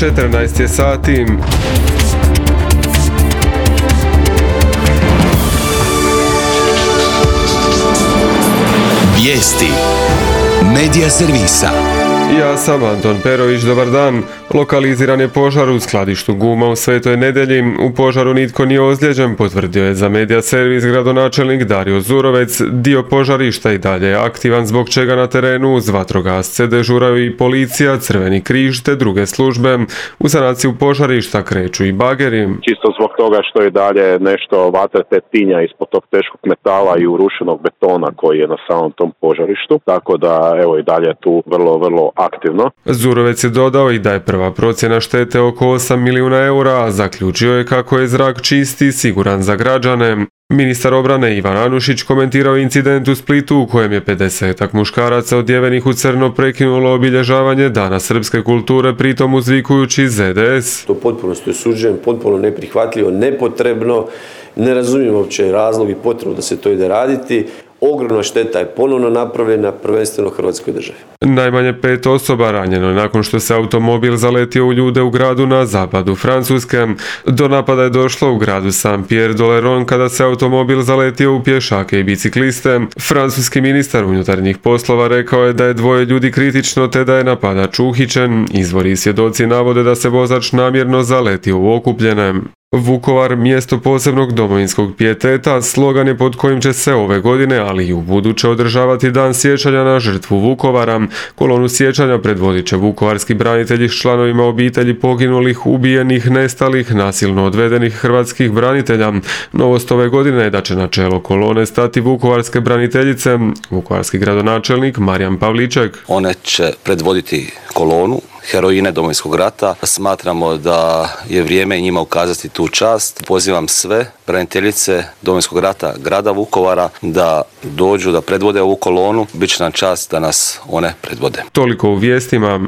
14 je sati. Vijesti Medija servisa. Ja sam Anton Perović, dobar dan. Lokaliziran je požar u skladištu guma u Svetoj Nedelji. U požaru nitko nije ozlijeđen, potvrdio je za Medija servis gradonačelnik Dario Zurovec. Dio požarišta i dalje je aktivan, zbog čega na terenu uz vatrogasce dežuraju i policija, Crveni križ te druge službe. U sanaciju požarišta kreću i bageri. Čisto zbog toga što je dalje nešto vatre te tinja ispod tog teškog metala i urušenog betona koji je na samom tom požarištu. Tako da evo i dalje tu vrlo aktivno. Zurovec je dodao i da je prva procjena štete oko 8 milijuna eura, a zaključio je kako je zrak čist i siguran za građane. Ministar obrane Ivan Anušić komentirao incident u Splitu u kojem je 50-ak muškaraca odjevenih u crno prekinulo obilježavanje Dana srpske kulture, pritom uzvikujući ZDS. To potpuno osuđujem, potpuno neprihvatljivo, nepotrebno, ne razumijem uopće razlog i potrebu da se to ide raditi. Ogromna šteta je ponovno napravljena, prvenstveno Hrvatskoj državi. Najmanje 5 osoba ranjeno je nakon što se automobil zaletio u ljude u gradu na zapadu Francuske. Do napada je došlo u gradu Saint-Pierre-d'Oléron kada se automobil zaletio u pješake i bicikliste. Francuski ministar unutarnjih poslova rekao je da je 2 ljudi kritično te da je napadač uhićen. Izvori i svjedoci navode da se vozač namjerno zaletio u okupljene. Vukovar, mjesto posebnog domovinskog pijeteta, slogan je pod kojim će se ove godine, ali i u buduće održavati dan sjećanja na žrtvu Vukovara. Kolonu sjećanja predvodit će vukovarski branitelji s članovima obitelji poginulih, ubijenih, nestalih, nasilno odvedenih hrvatskih branitelja. Novost ove godine je da će na čelo kolone stati vukovarske braniteljice, vukovarski gradonačelnik Marijan Pavliček. One će predvoditi kolonu heroine Domovinskog rata. Smatramo da je vrijeme njima ukazati tu čast. Pozivam sve braniteljice Domovinskog rata grada Vukovara da dođu, da predvode ovu kolonu. Biće nam čast da nas one predvode. Toliko u vijestima.